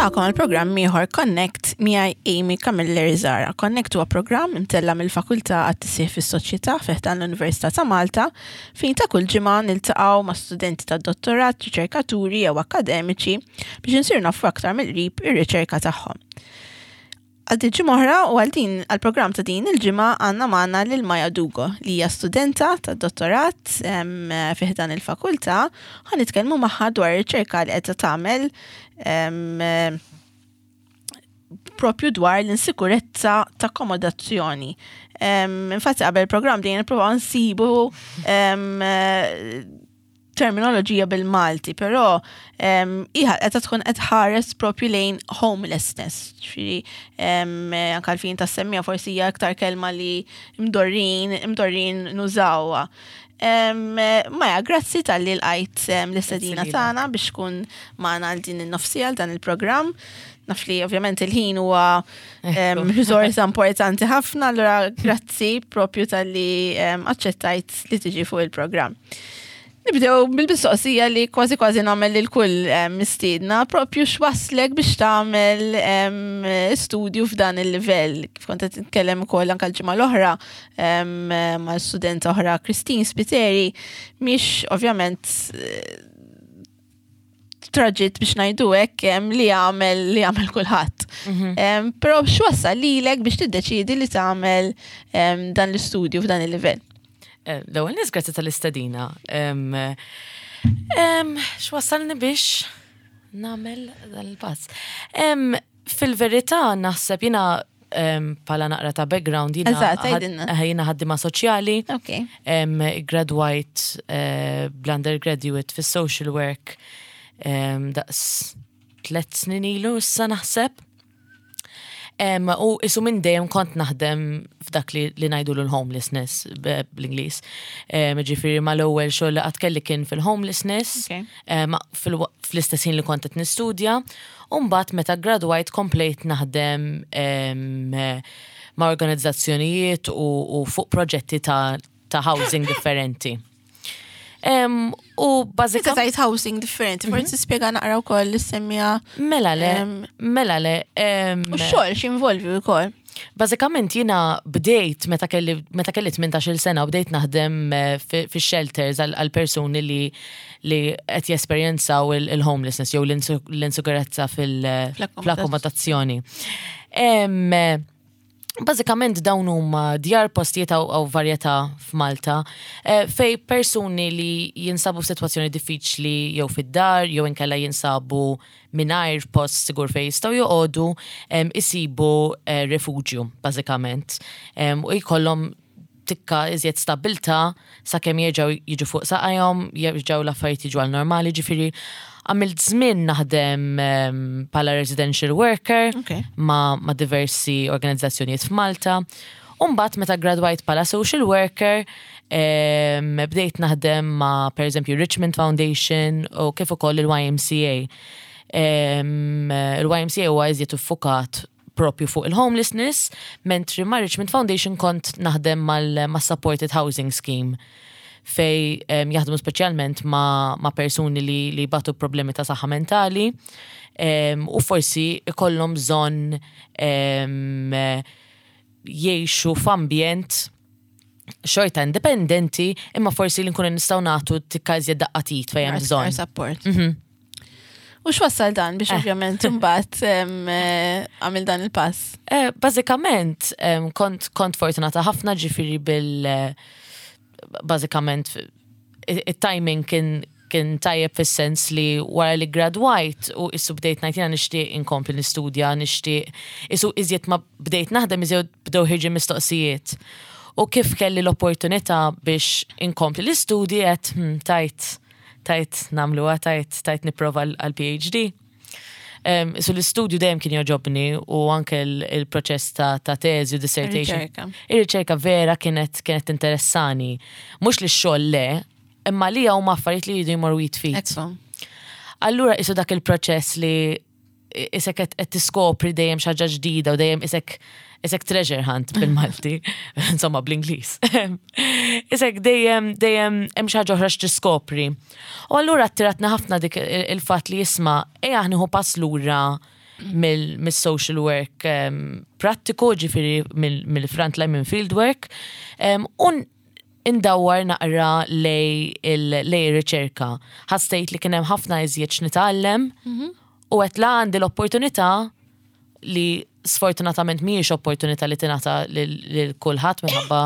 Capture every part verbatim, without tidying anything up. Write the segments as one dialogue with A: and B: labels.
A: Nilqagħkom għal programm ieħor Connect miegħi Amy Camilleri Zara. Connect huwa programm imtella mill-Fakultà għat-Tisħiħ fis-Soċjetà fi ħdan l-Università ta' Malta, fejn ta' kull ġimgħa niltaqgħu ma' studenti ta' dottorat, riċerkaturi jew akademiċi biex insir nafu aktar mill-qrib ir-riċerka tagħhom. Għal ġimgħa oħra u għal din għal-programm ta' din il-ġimgħa għandna magħna lil Maja Dugo, li hija studenta ta' dottorat fi ħdan il-fakultà. Ħa nitkellmu magħha dwar ir-riċerka li qed tagħmel em, propju dwar l-insikurezza ta' akkomodazzjoni. Infatti qabel il-programm din nippruvaw nsibu em, terminoloġija bil-Malti, però iħa qed tkun qed ħares propju lejn homelessness. Ġifieri anke għalfejn ta' semmija forsi hija aktar kelma li mdorrin, mdorrin nużawha. Maja, grazzi talli lqajt l-istedina
B: lilek.
A: tagħna biex tkun magħna għal din in-nofsija għal dan il-programm. Naf li ovvjament il-ħin huwa em, risorsa importanti ħafna, allura grazzi propju talli em, aċċettajt li tiġi fuq il-programm. Nibdew bil-mistoqsija li kważi kważi nagħmel lil kull em, mistiedna, propju x'waslek biex tagħmel em, studju f'dan il-livell. Kif kont qed nitkellem ukoll anke l-ġimgħa l-oħra em, ma' student oħra, Christine Spiteri, mhix ovvjament eh, traġitt, biex ngħidu hekk, em, li għamel li għamel kulħadd. Em, Però x'wassal lilek biex tiddeċidi li tagħmel em, dan l-istudju f'dan il-livell?
B: Eh, L-ewwel nies, grazzi tal-istedina. Em, em, X'wassalni biex nagħmel dal-pass? Em, Fil-verità naħseb jiena em, bħala naqra ta' background jiena
A: Eżatt,
B: ħad-
A: għidilna.
B: eh, jiena ħaddima soċjali.
A: Ok.
B: Em, Gradwajt eh, bl-undergraduate fis-social work em, daqs tlet snin ilu issa naħseb. Em, u isu minn dejjem kont naħdem f'dak li, li ngħidu l-homelessness b- bl-Ingliż. Em, Ġifieri mal-ewwel xogħol li qatt kelli kien fil-homelessness,
A: Ok.
B: em, fil- fl-istess ħin li kont qed nistudja. U mbagħad meta gradwajt komplejt naħdem em, ma' organizzazzjonijiet u, u fuq proġetti ta', ta' housing differenti. Em, u
A: Meta
B: bażikament
A: tajt housing differenti, forsi spjega naqra wkoll li semmija
B: Mela le,
A: Em,
B: mela le. em,
A: u x-xogħol x'involvi wkoll.
B: Bażikament jiena bdejt meta kelli meta kelli tmintax-il sena u bdejt naħdem eh, fi fi shelters għal għal persuni li li qed jesperjenzaw il- il-homelessness jew l-insu- l-insikurezza fil-
A: Fl-akkomodazzjoni.
B: fl-akkomodazzjoni. Em, eh, Bażikament dawn huma djar, postijiet għaw għaw varjetà f'Malta eh, fej persuni li jinsabu f'sitwazzjoni diffiċli jew fid-dar jew inkella jinsabu mingħajr post sigur fej jistgħu joqogħdu em, isibu eh, refuġju bażikament Em, u jkollhom tikka iżjed stabilta sakemm jerġgħu jiġu fuq saqajhom, jerġgħu l-affarijiet jiġu għal normali, ġifieri għamilt żmien naħdem em, bħala residential worker
A: Ok.
B: ma, ma diversi organizzazzjonijiet f'Malta. Umbagħad meta gradwajt bħala social worker, em, bdejt naħdem ma per eżempju Richmond Foundation u kif ukoll il-Y M C A. Em, Il-Y M C A huwa iżjed iffukat propju fuq il-homelessness, mentri ma' Richmond Foundation kont naħdem mal ma' Supported Housing Scheme fej um, jaħdmu speċjalment ma', ma persuni li, li batu problemi ta' saħħa mentali um, u forsi ikollhom bżonn um, jgħixu f'ambjent xorta indipendenti, imma forsi li nkunu nistgħu nagħtu tikka iżjed daqqa t'id fejn hemm bżonn.
A: Support. U x'wassal dan biex
B: Eh.
A: ovvjament imbagħad em, eh, għamil dan il-pass?
B: Eh, Bażikament, em, kont, kont fortunata ħafna, ġifieri bil eh, bażikament il-timing kien kien tajjeb fis-sens li wara li gradwajt u issu bdejt ngħid jiena nixtieq inkompli nistudja, nixtieq isu iżjed ma bdejt naħdem iżjed bdew ħirġin mistoqsijiet. U kif kelli l-opportunità biex inkompli l-istudji għedt hmm, tajt tajt nagħmluha, tajt tajt nipprova għal-P H D. Um, so l-istudju dejjem kien jogħġobni u anke l- il-proċess ta', ta' teżi u dissertation.
A: Ir-riċerka.
B: Ir-riċerka vera kienet kienet interessani. Mhux li x-xogħol le, imma li huma affarijiet li jridu jmorru jitfit.
A: Ekku.
B: Allura isu dak il-proċess li isek qed qed tiskopri dejjem xi ħaġa ġdida u dejjem isek isek treasure hunt bil-Malti, insomma bl-Ingliż. Isek dejjem dejjem hemm xi ħaġa oħra x'tiskopri. U allura attiratna ħafna dik il- il-fatt li jisma' ejja nieħu pass lura. Mill-social work um, prattiku, ġifieri mill-frontline, minn field work, um, un indawwar naqra lejn il-riċerka. Ħassejt li kien hemm ħafna iżjed x'nitgħallem u għedt la għandi l-opportunità, li sfortunatament mhijiex opportunità li tingħata lil kulħadd minħabba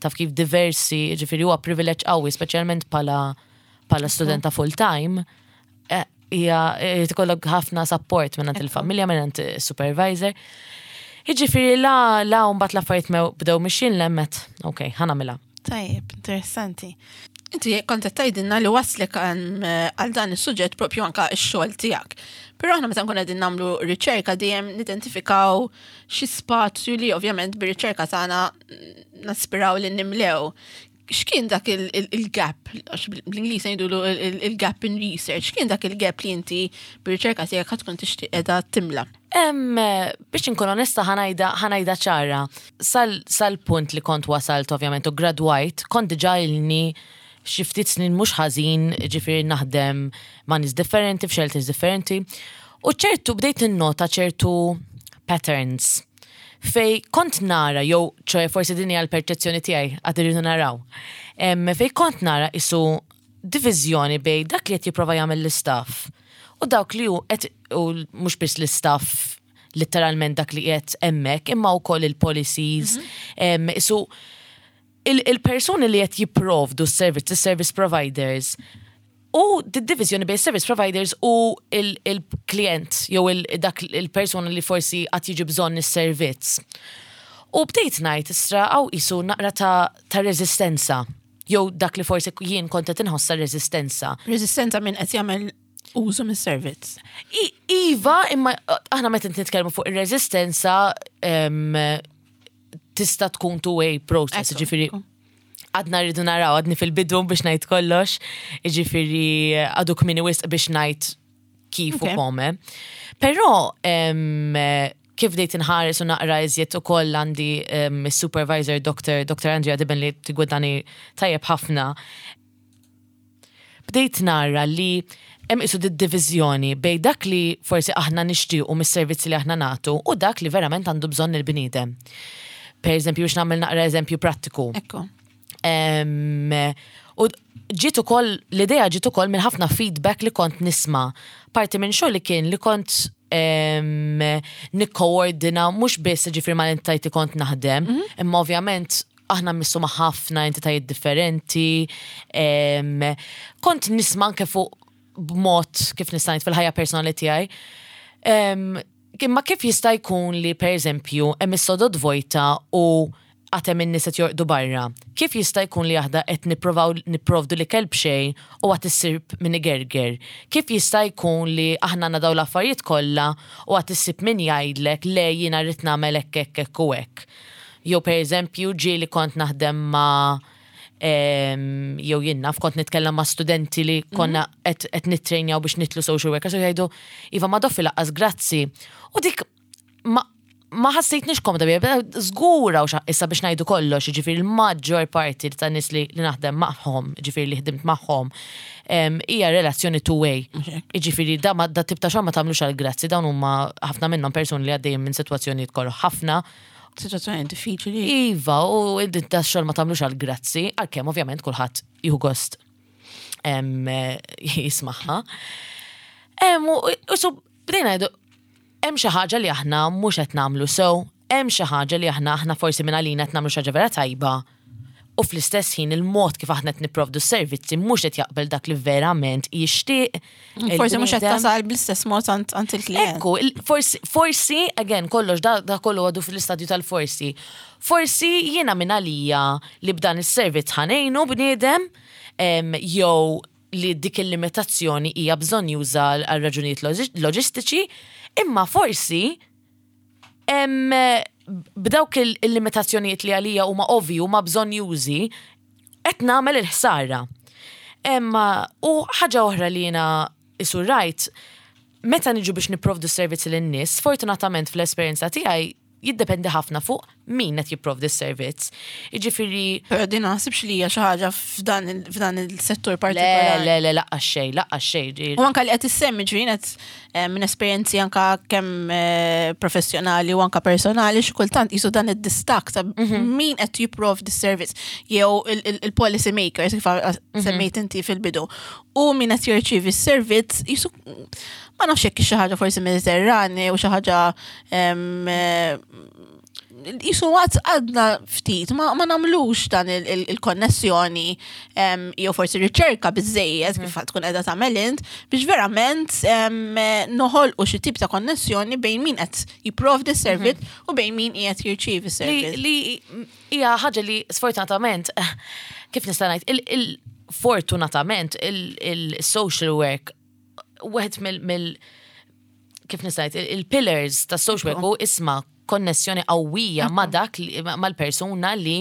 B: taf kif diversi, ġifieri huwa privileġġ qawwi, speċjalment bħala bħala studenta full time, eh, hija tkollok ħafna support minn il-familja, minn supervisor. Jiġifieri la la mbagħad l-affarijiet bdew mixjin lemmet, ok, ħa nagħmilha.
A: Tajjeb, interessanti. Inti kont qed tgħidilna li waslek għal dan is-suġġett propju anka x-xogħol tiegħek. Però aħna meta nkun qegħdin nagħmlu riċerka dejjem nidentifikaw xi spazju li ovvjament bir-riċerka tagħna naspiraw li nimlew. X'kien dak il-gap, għax bl-Ingliż ngħidulu il-gap in research, x'kien dak il-gap li inti bir-riċerka tiegħek ħa tkun tixtieq qiegħda timla?
B: Biex nkun onesta, ħa ngħidha ċara, sal-punt li kont wasalt ovvjament u gradwajt, kont diġà ilni xi ftit snin mhux ħażin, ġifieri naħdem ma' nies differenti, f'shelters differenti. U ċertu bdejt innota ċertu patterns fej kont nara, jew ċoè forsi din hija l-perċezzjoni tiegħi, għad irridu naraw. Fej kont nara isu diviżjoni bejn dak li qed jipprova jagħmel l-istaff u dawk li hu qed, u mhux biss l-istaff literalment dak li qed hemmhekk, imma wkoll il-policies. Isu il-persuni li qed jipprovdu s-servizz, service providers, u d-divizjoni bejn service providers u il-klient, jew dak il-persona li forsi għad jiġi bżonn is-servizz. U bdejt ngħid istra għaw isu naqra ta', ta rezistenza. Jew dak li forsi jien kont qed inħossa rezistenza.
A: Rezistenza minn qed jagħmel użu mis-servizz.
B: Iva, imma aħna meta nitkellmu fuq ir-rezistenza tista' tkun two-way process, ġifieri għadna rridu naraw, għadni fil-bidu biex ngħid kollox, ġifieri għadu kmieni wisq biex ngħid kif u kome. Però kif bdejt inħares u naqra iżjed ukoll għandi supervisor Doctor Doctor Andrea Dibben li tigwidani tajjeb ħafna. Bdejt nara li hemm isu divizjoni bejn dak li forsi aħna nixtiequ mis-servizzi li aħna nagħtu u dak li verament għandu bżonn il-bniedem. Per eżempju, biex nagħmel naqra eżempju prattiku.
A: Ekku.
B: U ġiet ukoll l-idea ġiet ukoll minn ħafna feedback li kont nisma'. Parti minn xogħol li kien li kont nikkoordina mhux biss ġifieri ma entitajiet li kont naħdem, mhm. imma ovvjament aħna mmissu ma' ħafna entitajiet differenti. Kont nisma' anke fuq b'mod kif nista' ngħid fil-ħajja personali tiegħi. Imma kif jista' jkun li, per eżempju, hemm is-sodod vojta u għad hemm in-nies qed jorqdu barra? Kif jista' jkun li aħna qed nipprovaw nipprovdu l-ikel b'xejn u għad issib min igerger? Kif jista' jkun li aħna għandna daw l-affarijiet kollha u għad issib min jgħidlek le, jiena rrid nagħmel hekk, hekk, hekk u hekk? Jew per eżempju ġieli kont naħdem ma' jew jien naf kont nitkellem ma' studenti li konna qed qed nittrejnjaw biex nidħlu social workers u jgħidu, "Iva, ma doffi lanqas grazzi." U dik ma ma ħassejtnix komda biha, żgura u issa biex ngħidu kollox, ġifieri l-maġġor parti ta' nies li, li naħdem magħhom, ġifieri li ħdimt magħhom, hija relazzjoni two-way. Ġifieri da, ma, da tip ta' xogħol ma tagħmlux għal grazzi, dawn huma ħafna minnhom persuni li għaddejjin minn sitwazzjonijiet kollu ħafna.
A: Situazzjoni diffiċli.
B: Iva, u da xogħol ma tagħmlux għal grazzi, għalkemm ovvjament kulħadd jieħu gost jismagħha. U so bdejna ngħidu hemm xi ħaġa li aħna mhux qed nagħmlu sew, hemm xi ħaġa li aħna aħna forsi minn għalina qed nagħmlu xi ħaġa vera tajba. U fl-istess ħin il-mod kif aħna qed nipprovdu s-servizzi mhux qed jaqbel dak li verament jixtieq.
A: Forsi mhux qed tasal bl-istess mod għand il-klient.
B: Ekku, forsi, forsi, again, kollox da, da kollu għadu fl-istadju tal-forsi. Forsi jiena minn għalija li b'dan is-servizz ħa ngħinu bniedem jew li dik il-limitazzjoni hija bżonn juża għal raġunijiet loġistiċi, imma forsi b'dawk il-limitazzjonijiet li għalija huma ovvju huma bżonn jużi qed nagħmel il-ħsara. Imma u ħaġa oħra li jiena isu rajt, meta niġu biex nipprovdu servizzi lin-nies, fortunatament fl-esperjenza tiegħi Jiddependi ħafna fuq min qed jipprovdi s-servizz. Jiġifieri
A: Però din naħsibx li hija xi ħaġa f'dan il- f'dan il-settur
B: le,
A: partikolari.
B: Le, le, lanqas xejn, lanqas xejn.
A: U anka li qed issemmi, ġifieri qed eh, minn esperjenzi anka kemm eh, professjonali u anka personali, xi kultant qisu dan id-distakk ta' min qed jipprovdi s-servizz jew il- il- il-policy makers, kif semmejt inti fil-bidu, u min qed jirċievi s-servizz, qisu ma nafx jekk xi ħaġa forsi Mediterrani u xi ħaġa em, eh, qisu għad għadna ftit, ma, ma nagħmlux dan il- il- il-konnessjoni em, jew forsi riċerka biżejjed kif tkun qiegħda tagħmel int biex verament em, noħolqu xi tip ta' konnessjoni bejn min qed jipprovdi s-servizz u bejn min qiegħed jirċievi
B: Li,
A: s-servizz.
B: li hija ħaġa li sfortunatament, kif nista' ngħid, il, il fortunatament il-social work, wieħed mill, mill kif nista' ngħid, il-pillars ta' social work hu isma' konnessjoni qawwija ma' dak li- mal-persuna li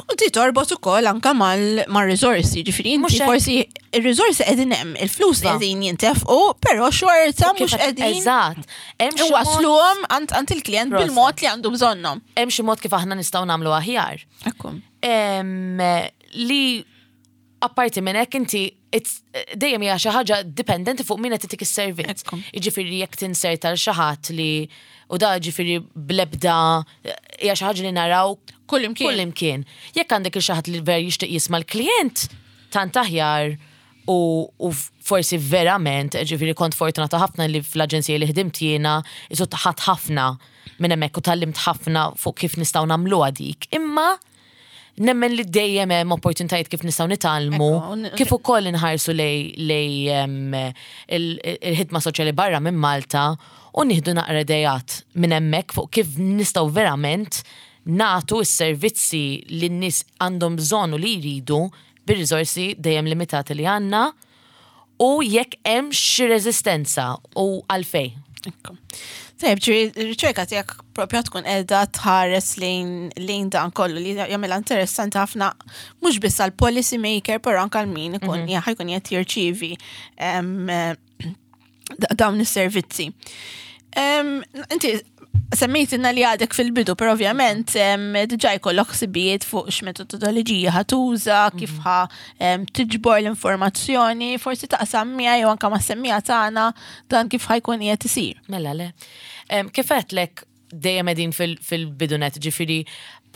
A: U ti torbot ukoll anka mal-risorsi, ġifieri inti
B: Mhux hekk.
A: forsi il-risorsi qegħdin hemm, il-flus
B: Va.
A: qegħdin jintefqu, però xorta mhux
B: Kif-
A: qegħdin
B: Eżatt. Hemm xi mod-
A: wasluhom għand għand il-klient
B: Proset.
A: bil-mod li għandu bżonnhom.
B: Hemm xi mod kif aħna nistgħu nagħmlu aħjar.
A: Ekku.
B: Em, li apparti minn hekk inti it's- dejjem hija xi ħaġa dipendenti fuq min qed itik is-servizz.
A: Ekku.
B: Jiġifieri jekk tinserta l xi ħadd li u da ġifieri blebda hija xi ħaġa li naraw
A: Kull imkien.
B: Kull imkien. Jekk għandek il xi ħadd li ver jixtieq jisma' l-klient, tant aħjar u, u forsi verament, ġifieri kont fortunata ħafna li fl-aġenzija li ħdimt jiena, isu ħadt ħafna minn hemmhekk u tgħallimt ħafna fuq kif nistgħu nagħmluha dik. Imma nemmen li dejjem hemm opportunitajiet kif nistgħu nitgħallmu,
A: Ekku, un-
B: kif ukoll inħarsu lej lej em, il- il-ħidma soċjali barra minn Malta u nieħdu naqra idejat minn hemmhekk fuq kif nistgħu verament nagħtu s-servizzi li n-nies għandhom bżonn u li jridu bir-riżorsi dejjem limitati li għandna u jekk hemm xi reżistenza u għalfej.
A: Ekku. Tajjeb, ġifieri, riċerka tiegħek propja tkun qiegħda tħares lejn lejn dan kollu li jagħmilha interessanti ħafna mhux biss għal policy maker, però anke għal min ikun mm ħajkun qed jirċievi em, eh, da- dawn is-servizzi. Em, Inti semmejtilna li għadek fil-bidu, però ovvjament em, diġà jkollok ħsibijiet fuq x'metodoloġija ħa tuża, kif ħa em, tiġbor l-informazzjoni, forsi taqsam miegħi jew anke mas-semmiegħa tagħna dan kif ħa jkun qiegħed isir.
B: Mela le. Em, Kif għedtlek, dejjem qegħdin fil- fil-bidunet, ġifieri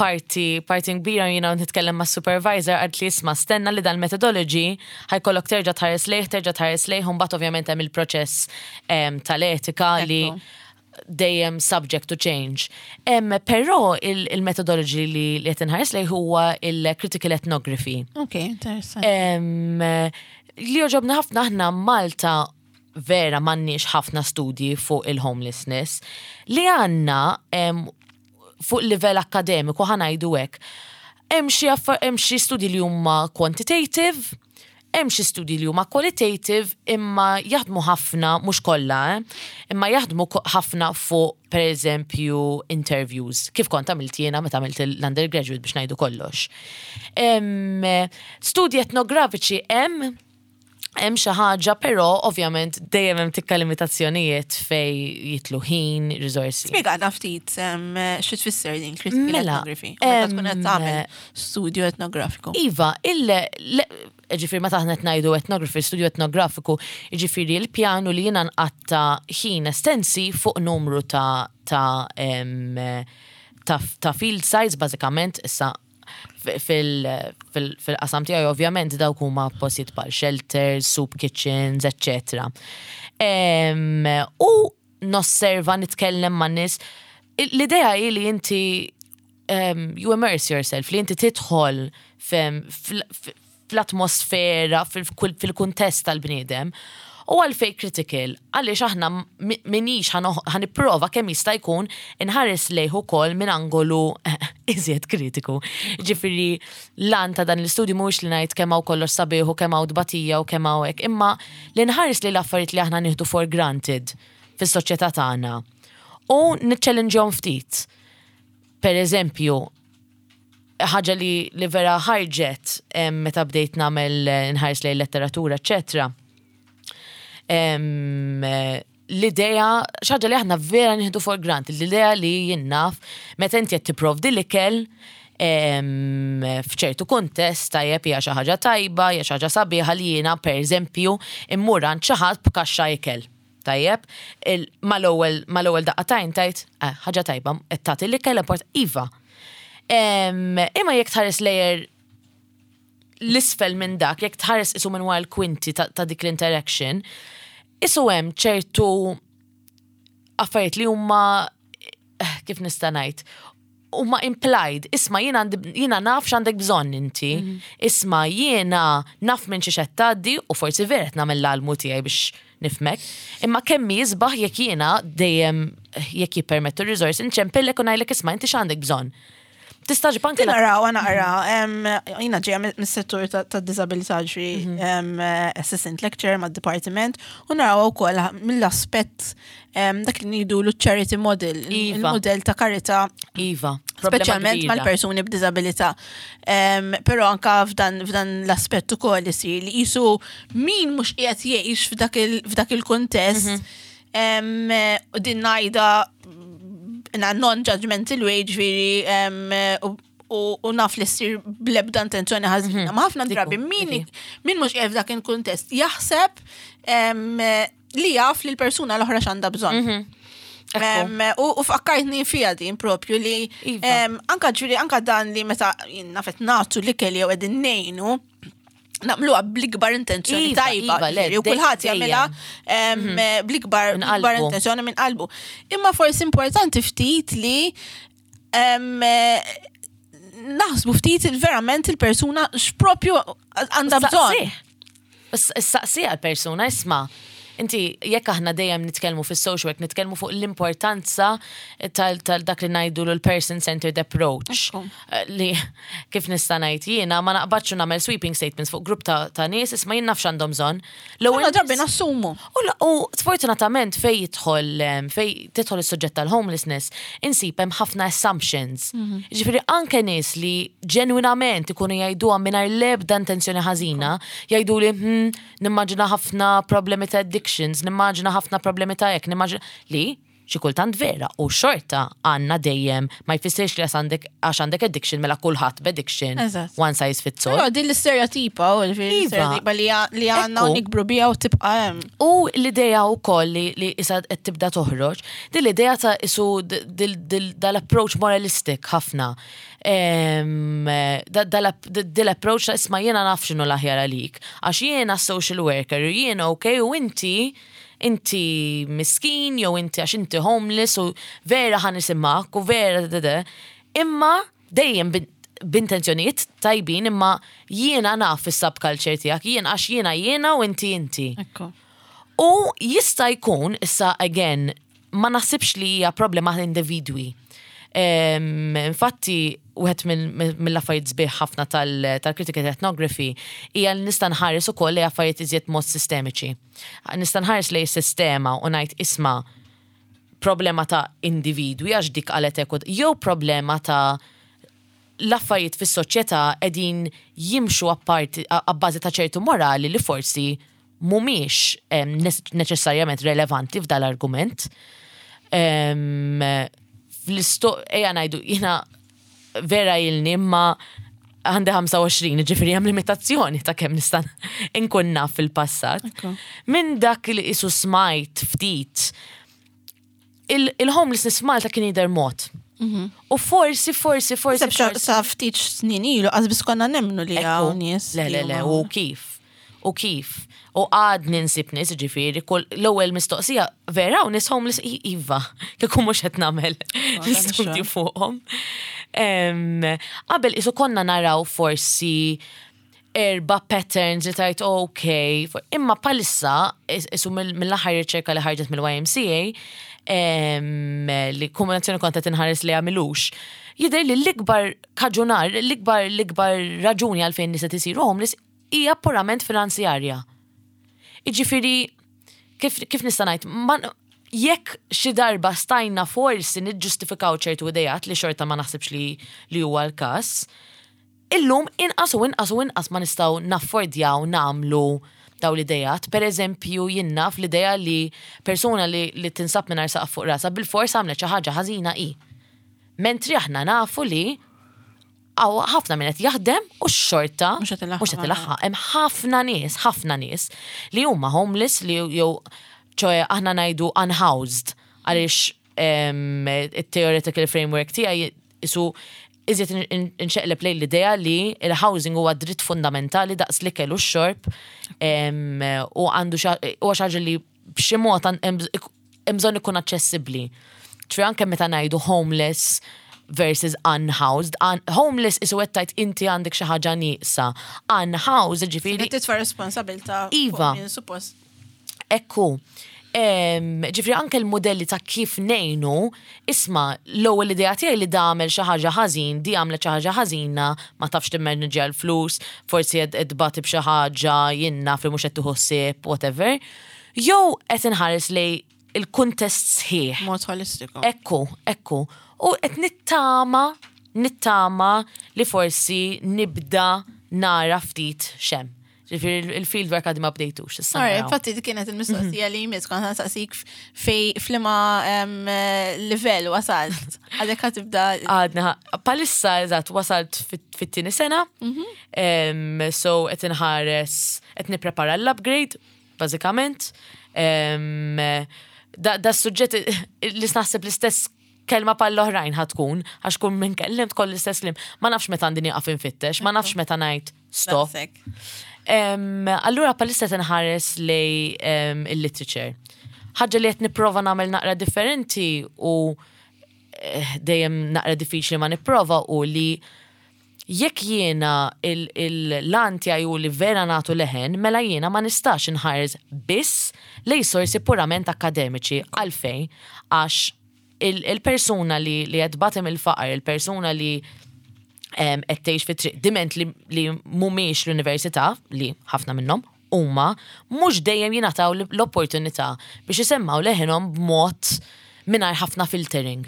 B: parti, parti kbira jiena nitkellem ma' supervisor għad li isma' stenna li dal-methodology ħa jkollok terġa' tħares lejh, terġa' tħares lejh, u mbagħad ovvjament hemm il-proċess em, tal-etika li
A: Ekku.
B: dejjem subject to change. Em, però il- il-methodology li li qed inħares lejh huwa il-critical ethnography.
A: Ok, interessanti.
B: Em, li jogħġobna ħafna, aħna Malta vera m'għandniex ħafna studji fuq il-homelessness. Li għandna em, fuq livell akademiku, ħa ngħidu hekk. Hemm xi affa- hemm xi studji li huma quantitative, hemm xi studji li huma qualitative, imma jaħdmu ħafna, mhux kollha, eh, imma jaħdmu ko- ħafna fuq per eżempju interviews, kif kont għamilt jiena meta għamilt l-undergraduate, biex ngħidu kollox. Em, Studji etnografiċi hemm hemm xi ħaġa, però ovvjament dejjem hemm tikka limitazzjonijiet fej jidħlu ħin, riżorsi.
A: Spjegana ftit em, xi tfisser din critical
B: Mela,
A: ethnography u meta tkun qed
B: em,
A: tagħmel studju etnografiku.
B: Iva, il le- ġifieri meta aħna qed ngħidu ethnography, studju etnografiku, ġifieri l-pjanu li jiena nqatta ħin estensi fuq numru ta' ta' em, ta' ta' field sites, bażikament issa fil- fil- fil-qasam tiegħi ovvjament dawk huma postijiet bħal shelters, soup kitchens, eccetera. Em, U nosserva, nitkellem ma' nies. L-idea hi li inti um, you immerse yourself, li inti tidħol fem- fl- fl-atmosfera, fil-kuntest tal-bniedem. U għalfej critical? Għaliex aħna mi- minix ħa nipprova kemm jista' jkun inħares lejh ukoll minn angolu iżjed kritiku. Ġifieri l-għan ta' dan l-istudju mhuwiex li ngħid kemm hawn kollox sabiħ u kemm hawn tbatija u kemm hawn hekk, imma li nħares li l-affarijiet li aħna nieħdu for granted fis-soċjetà tagħna. U niċċellinġhom ftit. Per eżempju, ħaġa li, li vera ħarġet em, meta bdejt nagħmel eh, nħares lejn letteratura, eċetera. Em, eh, L-idea, xi ħaġa li aħna vera nieħdu for granted, l-idea li jien naf, meta inti qed tipprovdi l-ikel em, f'ċertu kuntest tajjeb, hija xi ħaġa tajba, hija xi ħaġa sabiħa li jiena, pereżempju, immur għand xi ħadd b'kaxxa ikel. Tajjeb, il- mal-ewwel mal-ewwel daqqa t'għajn tgħid, eh, ħaġa tajba, qed tagħti l-ikel import iva. Em, Imma jekk tħares layer l-isfel minn dak, jekk tħares isu minn wara l-kwinti ta', ta' dik l-interaction, isu hemm ċertu affarijiet li huma, eh, kif nista' ngħid, huma implied. Isma', jiena għandi, jiena naf x'għandek bżonn inti. Isma', jiena naf minn xi qed tgħaddi u forsi vera qed nagħmel l-almu tiegħi biex nifhmek. Imma kemm jisbaħ jekk jiena dejjem, jekk jippermettu r-resource, inċempillek u ngħidlek, "Isma', inti x'għandek bżonn?" Tista' ġib anke la-
A: Naraw, naqra, jiena ġeja mis-settur ta' disabilità, ġri assistant lecturer ma' departiment, u naraw ukoll mill-aspett em, dak li ngħidu l charity model,
B: Iva.
A: il-model ta' karità,
B: Iva, problema
A: speċjalment
B: kbira.
A: mal-persuni b'disabilità. Em, Però anka f'dan f'dan l-aspett ukoll isir li jisu min mhux qiegħed jgħix f'dak il- f'dak il-kuntest, em, u din ngħidha in a non-judgmental way, ġifieri, em, u u u naf li ssir bl-ebda intenzjoni ħażina. Ma ħafna drabi min
B: dik
A: min mhux qiegħed f'dak il-kuntest jaħseb em, li jaf li l-persuna l-oħra x'għandha bżonn.
B: Ekku.
A: Em, U u fakkartni fija din propju li
B: Iva.
A: em, anka ġifieri anka dan li meta nafet nagħtu l-ikel jew qegħdin ngħinu, nagħmluha bl-ikbar intenzjoni
B: Iva,
A: tajba,
B: iva, le,
A: ġifieri, u kulħadd
B: dejjem.
A: jagħmilha em, bl-ikbar
B: Minn
A: bl-ikbar
B: qalbu.
A: intenzjoni minn qalbu. Imma forsi importanti ftit li em, naħsbu ftit verament il-persuna x'propju għandha bżonn.
B: Saqsija l-persuna, "Isma', inti," jekk aħna dejjem nitkellmu fis-social work, nitkellmu fuq l-importanza tal tal dak li ngħidu l-person-centered approach.
A: Ekku.
B: Eh, Li kif nista' ngħid jiena ma naqbadx u nagħmel sweeping statements fuq grupp ta' ta' nies, "Isma', jien naf x'għandhom bżonn." L-ewwel
A: Ħafna drabi nassumu.
B: U la- U sfortunatament fej jidħol em, fej tidħol is-suġġett tal-homelessness, insib hemm ħafna assumptions. Ġifieri anke nies li ġenwinament ikunu jgħiduha mingħajr l-ebda intenzjoni ħażina, jgħidu li hmm, nimmaġina ħafna problemi ta' addictions, nimmaġina ħafna problemi ta' hekk, nimmaġina li xi kultant vera u xorta għandna dejjem, ma jfissirx li għax għandek għax għandek addiction mela kulħadd b'addiction,
A: Eżatt.
B: one size fits all.
A: Però din l-istereotipa, u
B: Iva.
A: l-istereotipa li li għandna u
B: Ekku.
A: nikbru bija u tibqa' hemm.
B: U l-ideja u koll li, li issa qed tibda toħroġ, din l-ideja ta' isu d- dil- dil- dal-approach moralistic ħafna. Em, da- dal- Dil-approach ta' "Isma', jiena naf x'inhu l-aħjar għalik, għax jiena social worker, u jiena ok, u inti inti miskin, jew inti għax inti homeless u vera ħa nismgħek u vera da da." Imma dejjem bin- b'intenzjonijiet tajbin, imma jiena naf is-subculture tiegħek, jien għax jiena jiena u inti inti.
A: Ekku.
B: U jista' jkun, issa again, ma naħsibx li hija problema ta' individwi. Em, Infatti, wieħed mill- mill-affarijiet sbieħ ħafna tal-critical ethnography hija li nista' nħares ukoll li affarijiet iżjed mod sistemiċi. Nista' nħares lejn sistema u ngħid, "Isma', problema ta' individwi għax dik qalet hekk, jew problema ta' l-affarijiet fis-soċjetà qegħdin jimxu apparti abbażi ta' ċertu morali li forsi mhumiex em, neċessarjament relevanti f'dal-argument." Em, Fl-isto, ejja ngħidu, jiena vera ilni imma għandi ħamsa u għoxrin, ġifieri hemm limitazzjoni ta' kemm nista' nkun naf fil-passat.
A: Ekku.
B: Minn dak li isu smajt ftit, il- il-homelessness f'Malta kien jidher mod. U forsi, forsi, forsi.
A: Seb
B: forsi-
A: sa ftit snin ilu, qas konna nemmnu li hawn
B: Ekku.
A: nies.
B: Le,
A: li
B: le, le,
A: huma-
B: u kif? U kif? U għad ninsib nies, ġifieri, kull l-ewwel mistoqsija, "Vera u nies homeless?" I- Iva, kieku mhux qed nagħmel l-istudju fuqhom. Em, Qabel isu konna naraw forsi erba patterns li tgħid ok, for- imma bħalissa is- isu mill- mill-aħħar riċerka li ħarġet mill-Y M C A, em, li kombinazzjoni kont qed inħares li għamilux, jidher li l-ikbar kaġunar, l-ikbar l-ikbar raġuni għalfejn nies qed isiru homeless hija purament finanzjarja. Iġifieri, kif, kif nista' ngħid, ma- jekk xi darba stajna forsi niġġustifikaw ċertu idejat li xorta ma naħsibx li li huwa l-każ, illum inqas u inqas u inqas ma nistgħu naffordjaw nagħmlu Daw l-idejat. Per eżempju, jien naf l-idea li persuna li, li tinsab mingħajr saqaf fuq rasha bil-fors għamlet xi ħaġa ħażina i. Mentri aħna nafu li hawn ħafna minn qed jaħdem u x-xorta
A: mhux qed ilaħħaq.
B: Mhux qed ilaħħaq. Hemm ħafna nies, ħafna nies li huma homeless, li jew ċoè aħna ngħidu unhoused, għaliex em, il-theoretical framework tiegħi isu iżjed inxeqleb lejn l-idea li il-housing huwa dritt fundamentali daqs l-ikel u x-xorb em, u għandu huwa xi ħaġa li b'xi mod għan- hemm hemm bżonn ikun aċċessibbli. Ċfi anke meta ngħidu homeless versus unhoused. Un homeless isu għettajt inti għandek xi ħaġa nieqsa. Unhoused, ġifieri.
A: Titfa' responsabbiltà
B: Iva.
A: fuq min suppost.
B: Ekku. Em, Ġifieri anke l-modelli ta' kif ngħinu, isma', l-ewwel idea tiegħi li għamel xi ħaġa ħażin, di għamlet xi ħaġa ħażina, ma tafx timmanġja l-flus, forsi qed tbati b'xi ħaġa, jien naf, li mhux qed tieħu ħsieb, whatever. Jew qed inħares lej il-kuntest sħiħ.
A: Mod holistiku.
B: Ekku, ekku. U qed nittama, nittama li forsi nibda nara ftit xem. Ġifieri il-fieldwork għadni ma bdejtux. Issa
A: Alright,
B: naraw.
A: Infatti dik kienet il-mistoqsija li jmiss, kont nsaqsik fej f'liema em, livell wasalt. Għadek ħa tibda.
B: Għadna, bħalissa eżatt wasalt fit- fit-tieni sena, Em, so qed inħares, qed nipprepara l-upgrade, bażikament. Em, Da, da suġġett li naħseb l-istess kelma bħall-oħrajn ħa tkun, għax kull min kellimt koll l-istess kliem. Ma nafx meta għandi nieqaf infittex, ma nafx meta ngħid stop.
A: Daqshekk.
B: Em, Allura bħalissa tinħares lej em, il-literature. Ħaġa li qed nipprova nagħmel naqra differenti u eh, dejjem naqra diffiċli ma nipprova u li jekk jiena l-għan tiegħi u li vera nagħtu leħen, mela jiena ma nistax inħares biss lej sorsi purament akademiċi. Għalfejn? Għax il- il-persuna li li qed tbati il-faqar, il-persuna li em, qed tgħix fit-triq, diment li, li mhumiex l-università, li ħafna minnhom huma, mhux dejjem jingħataw l-opportunità biex isemmaw leħinhom b'mod mingħajr ħafna filtering.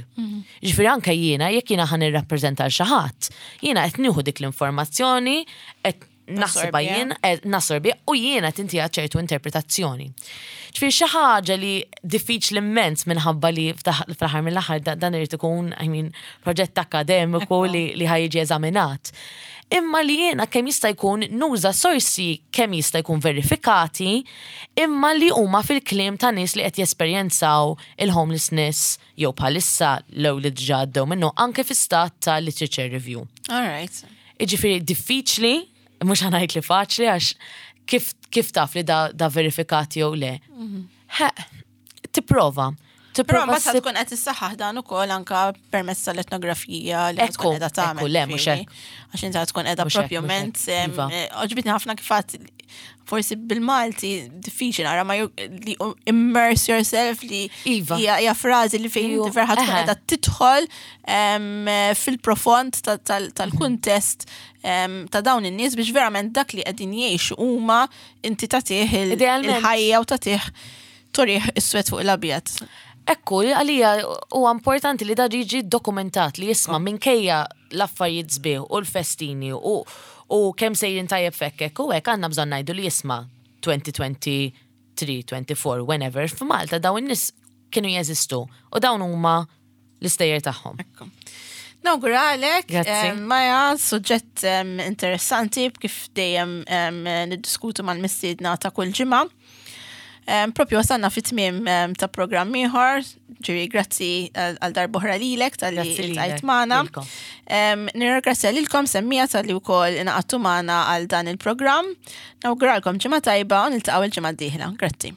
B: Ġifieri anke jiena, jekk jiena ħa nirrappreżenta l xi ħadd, jiena qed nieħu dik l-informazzjoni, qed naħsibha
A: Nassorbija.
B: jien, qed nassorbi u jiena tintiha ċertu interpretazzjoni. Ġifieri xi ħaġa li diffiċli immens minħabba li fl-aħħar mill-aħħar da- dan irid ikun, I mean, proġett akademiku li, li ħa jiġi eżaminat. Imma li jiena kemm jista' jkun nuża sorsi kemm jista' jkun verifikati, imma li huma fil-kliem ta' nies li qed jesperjenzaw il-homelessness jew bħalissa lew li diġà għaddew minnu anke fi stat ta' literature review.
A: All right.
B: Iġifieri diffiċli, mhux ħa ngħid li faċli, għax kif, kif taf li da, da verifikati jew le. Ha, tipprova.
A: Però
B: Tipprova
A: mbagħad
B: ssib-
A: tkun qed issaħħaħ dan ukoll anka permezz tal-etnografija li
B: Ekku,
A: tkun qiegħda tagħmel.
B: Ekku, le, mhux
A: ġifieri.
B: hekk.
A: Għax inti tkun qiegħda
B: Mhux hekk,
A: propjament
B: mhux hekk,
A: em,
B: iva.
A: eh, għoġbitni ħafna kif għedt, forsi bil-Malti diffiċli nara ma ju- li immerse yourself, li
B: Iva.
A: hija hija frażi li fejn
B: Ju,
A: inti vera tkun
B: eħe.
A: qiegħda tidħol em, fil-profond ta- tal- tal-kuntest em, ta' dawn in-nies biex verament dak li qegħdin jgħixu huma inti tagħtih il-
B: Idealment.
A: il-ħajja u tagħtih turih is-swed fuq l-abjad.
B: Ekku, għalija huwa importanti li da jiġi dokumentat li jisma' minkejja l-affarijiet sbieħ u l-festini u, u kemm sejrin tajjeb fekkek u hekk, għandna bżonn ngħidu li jisma' elfejn u tlieta u għoxrin, erbgħa u għoxrin, whenever, f'Malta dawn in-nies kienu jeżistu u dawn huma l-istejjer tagħhom.
A: Ekku. Nawguralek,
B: Grazzi.
A: em, Maja, suġġett em, interessanti kif dejjem em, niddiskutu mal-mistiedna ta' kull ġimgħa. Em, Propju wasalna fit tmiem em, ta' programm ieħor, ġiri grazzi għal għal darb'oħra lilek talli
B: Grazzi lilek,
A: iltqajt magħna.
B: Lilkom.
A: Em, Nirringrazzja lilkom semmiegħa talli wkoll ingħaqadtu magħna għal dan il-programm. Nawguralkom ġimgħa tajba u niltaqgħu il-ġimgħa d-dieħla. Grazzi.